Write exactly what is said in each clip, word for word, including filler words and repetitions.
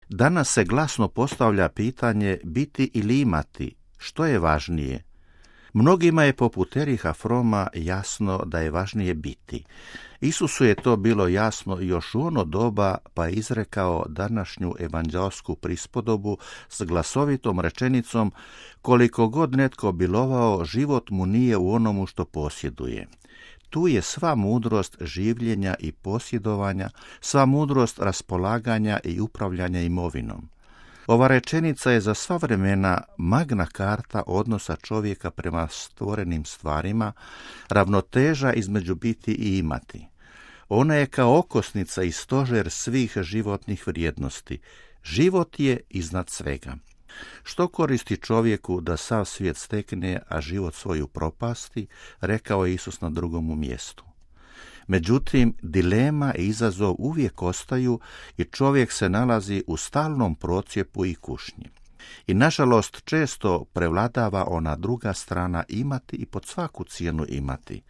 Danas se glasno postavlja pitanje biti ili imati, što je važnije? Mnogima je poput Ericha Froma jasno da je važnije biti. Isusu je to bilo jasno još u ono doba, pa je izrekao današnju evanđeosku prispodobu s glasovitom rečenicom: koliko god netko bilovao, život mu nije u onomu što posjeduje. Tu je sva mudrost življenja i posjedovanja, sva mudrost raspolaganja i upravljanja imovinom. Ova rečenica je za sva vremena magna karta odnosa čovjeka prema stvorenim stvarima, ravnoteža između biti i imati. Ona je kao okosnica i stožer svih životnih vrijednosti. Život je iznad svega. Što koristi čovjeku da sav svijet stekne, a život svoju propasti, rekao je Isus na drugom mjestu. Međutim, dilema i izazov uvijek ostaju i čovjek se nalazi u stalnom procjepu i kušnji. I nažalost često prevladava ona druga strana imati i pod svaku cijenu imati.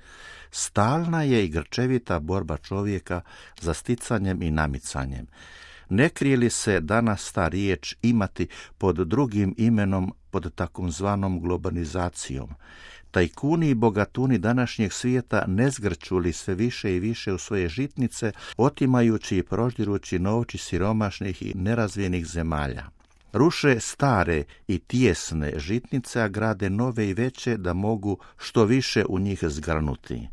Stalna je i grčevita borba čovjeka za sticanjem i namicanjem. Ne krije li se danas ta riječ imati pod drugim imenom, pod takozvanom globalizacijom? Tajkuni i bogatuni današnjeg svijeta ne zgrću li sve više i više u svoje žitnice, otimajući i proždirući novči siromašnih i nerazvijenih zemalja. Ruše stare i tijesne žitnice, a grade nove i veće da mogu što više u njih zgrnuti.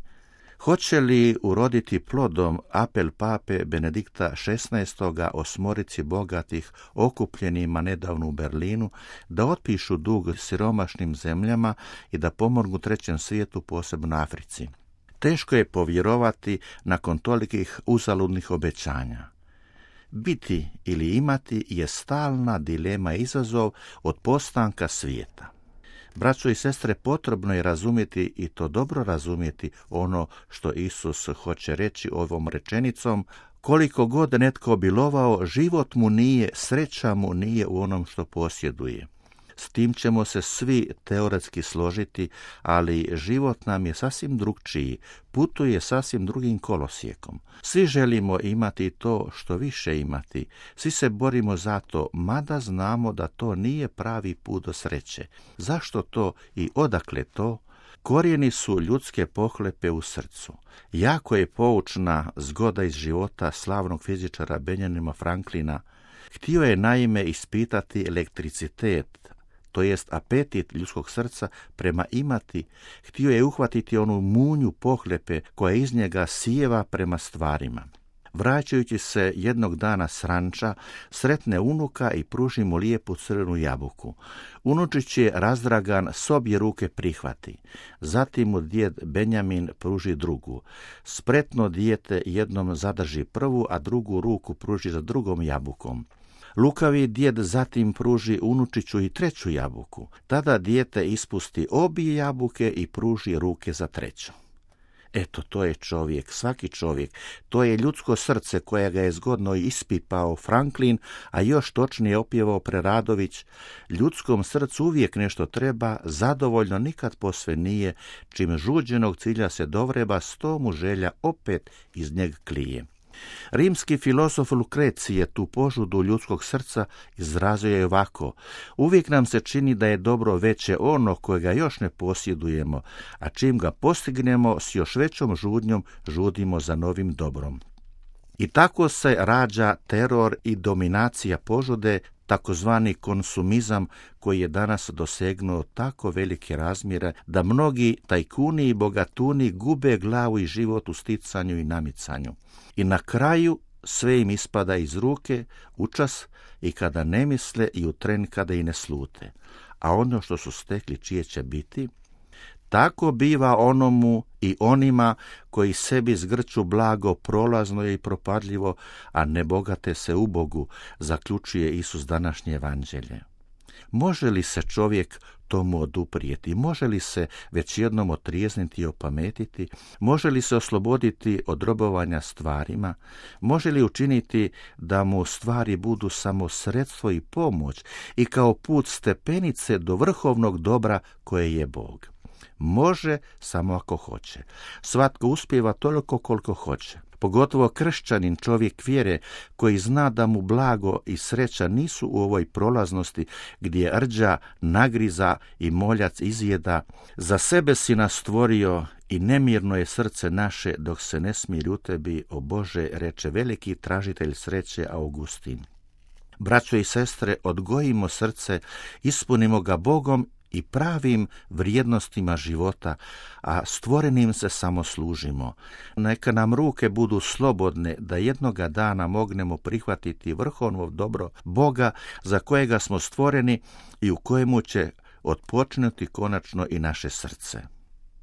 Hoće li uroditi plodom apel pape Benedikta šesnaestoga osmorici bogatih okupljenima nedavno u Berlinu da otpišu dug siromašnim zemljama i da pomognu trećem svijetu, posebno Africi? Teško je povjerovati nakon tolikih uzaludnih obećanja. Biti ili imati je stalna dilema i izazov od postanka svijeta. Braćo i sestre, potrebno je razumjeti i to dobro razumjeti ono što Isus hoće reći ovom rečenicom: koliko god netko bilovao, život mu nije, sreća mu nije u onom što posjeduje. S tim ćemo se svi teoretski složiti, ali život nam je sasvim drugčiji, putuje sasvim drugim kolosijekom. Svi želimo imati to što više imati, svi se borimo za to, mada znamo da to nije pravi put do sreće. Zašto to i odakle to? Korijeni su ljudske pohlepe u srcu. Jako je poučna zgoda iz života slavnog fizičara Benjamina Franklina. Htio je naime ispitati elektricitet, to jest apetit ljudskog srca prema imati. Htio je uhvatiti onu munju pohlepe koja iz njega sijeva prema stvarima. Vraćajući se jednog dana s ranča, sretne unuka i pruži mu lijepu crvenu jabuku. Unučić je razdragan, s obje ruke prihvati. Zatim mu djed Benjamin pruži drugu. Spretno dijete jednom zadrži prvu, a drugu ruku pruži za drugom jabukom. Lukavi djed zatim pruži unučiću i treću jabuku. Tada dijete ispusti obje jabuke i pruži ruke za treću. Eto, to je čovjek, svaki čovjek. To je ljudsko srce koje ga je zgodno ispipao Franklin, a još točnije opjevao Preradović. Ljudskom srcu uvijek nešto treba, zadovoljno nikad posve nije, čim žuđenog cilja se dovreba, sto mu želja opet iz njeg klije. Rimski filozof Lukrecije tu požudu ljudskog srca izrazio je ovako: uvijek nam se čini da je dobro veće ono kojega još ne posjedujemo, a čim ga postignemo s još većom žudnjom žudimo za novim dobrom. I tako se rađa teror i dominacija požude, takozvani konsumizam koji je danas dosegnuo tako velike razmjere da mnogi tajkuni i bogatuni gube glavu i život u sticanju i namicanju. I na kraju sve im ispada iz ruke učas i kada ne misle i u tren kada i ne slute. A ono što su stekli čije će biti? Tako biva onomu i onima koji sebi zgrću blago, prolazno je i propadljivo, a ne bogate se u Bogu, zaključuje Isus današnje evanđelje. Može li se čovjek tomu oduprijeti? Može li se već jednom otrijezniti i opametiti? Može li se osloboditi od robovanja stvarima? Može li učiniti da mu stvari budu samo sredstvo i pomoć i kao put stepenice do vrhovnog dobra koje je Bog? Može, samo ako hoće. Svatko uspijeva toliko koliko hoće. pogotovo kršćanin, čovjek vjere, koji zna da mu blago i sreća nisu u ovoj prolaznosti gdje rđa, nagriza i moljac izjeda. Za sebe si nas stvorio i nemirno je srce naše dok se ne smiri u tebi, o Bože, reče veliki tražitelj sreće Augustin. Braćo i sestre, odgojimo srce, ispunimo ga Bogom i pravim vrijednostima života, a stvorenim se samo služimo. Neka nam ruke budu slobodne da jednoga dana mognemo prihvatiti vrhovno dobro Boga za kojega smo stvoreni i u kojemu će otpočnuti konačno i naše srce.